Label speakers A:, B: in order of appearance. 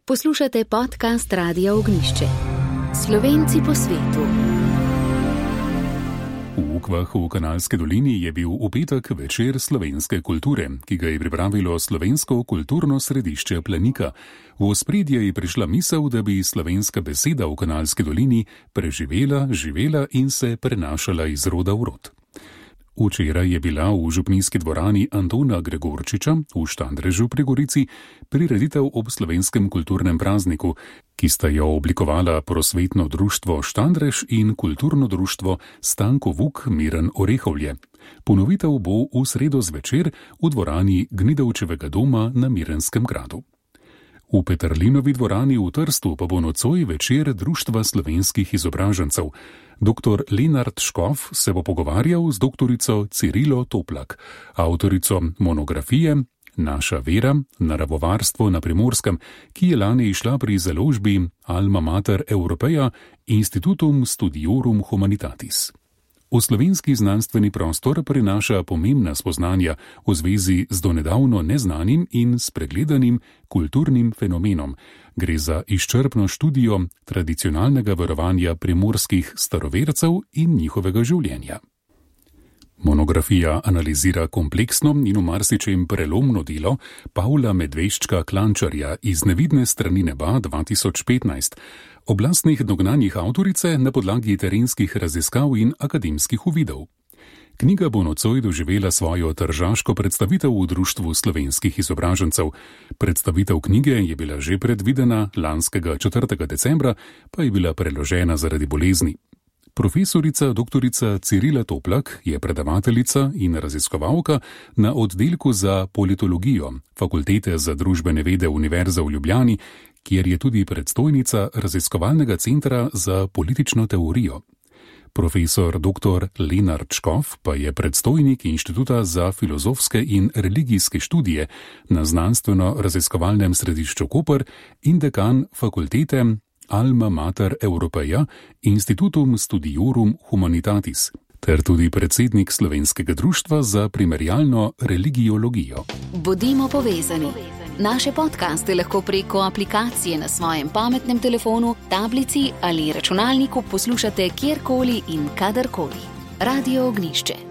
A: Poslušate podcast Radia Ognišče. Slovenci po svetu.
B: V Ukvah v Kanalski dolini je bil v petek večer slovenske kulture, ki ga je pripravilo Slovensko kulturno središče Planika. V ospredje je prišla misel, da bi slovenska beseda v Kanalski dolini preživela, živela in se prenašala iz roda v rod. Včeraj je bila v župnijski dvorani Antona Gregorčiča v Štandrežu pri Gorici prireditev ob slovenskem kulturnem prazniku, ki sta jo oblikovala Prosvetno društvo Štandrež in kulturno društvo Stanko Vuk Miren Orehovlje. Ponovitev bo v sredo zvečer v dvorani Gnidovčevega doma na Mirenskem gradu. V Peterlinovi dvorani v Trstu pa bo nocoj večer Društva slovenskih izobražencev. Dr. Lenart Škof se bo pogovarjal z doktorico Cirilo Toplak, avtorico monografije Naša vera, naravovarstvo na Primorskem, ki je lani izšla pri založbi Alma Mater Europeja Institutum Studiorum Humanitatis. V slovenski znanstveni prostor prinaša pomembna spoznanja v zvezi z donedavno neznanim in spregledanim kulturnim fenomenom. Gre za izčrpno študijo tradicionalnega verovanja primorskih starovercev in njihovega življenja. Monografija analizira kompleksno in v marsičem prelomno delo Pavla Medveščka Klančarja iz Nevidne strani neba 2015, oblastnih dognanjih avtorice na podlagi terenskih raziskav in akademskih uvidov. Knjiga bo nocoj doživela svojo tržaško predstavitev v Društvu slovenskih izobražencev. Predstavitev knjige je bila že predvidena lanskega 4. decembra, pa je bila preložena zaradi bolezni. Profesorica doktorica Cirila Toplak je predavateljica in raziskovalka na oddelku za politologijo Fakultete za družbene vede Univerze v Ljubljani, kjer je tudi predstojnica raziskovalnega centra za politično teorijo. Profesor dr. Lenart Škof pa je predstojnik Inštituta za filozofske in religijske študije na Znanstveno-raziskovalnem središču Koper in dekan fakultete Alma Mater Europeja Institutum Studiorum Humanitatis, ter tudi predsednik Slovenskega društva za primerjalno religiologijo.
A: Bodimo povezani. Naše podcaste lahko preko aplikacije na svojem pametnem telefonu, tablici ali računalniku poslušate kjerkoli in kadarkoli. Radio Ognišče.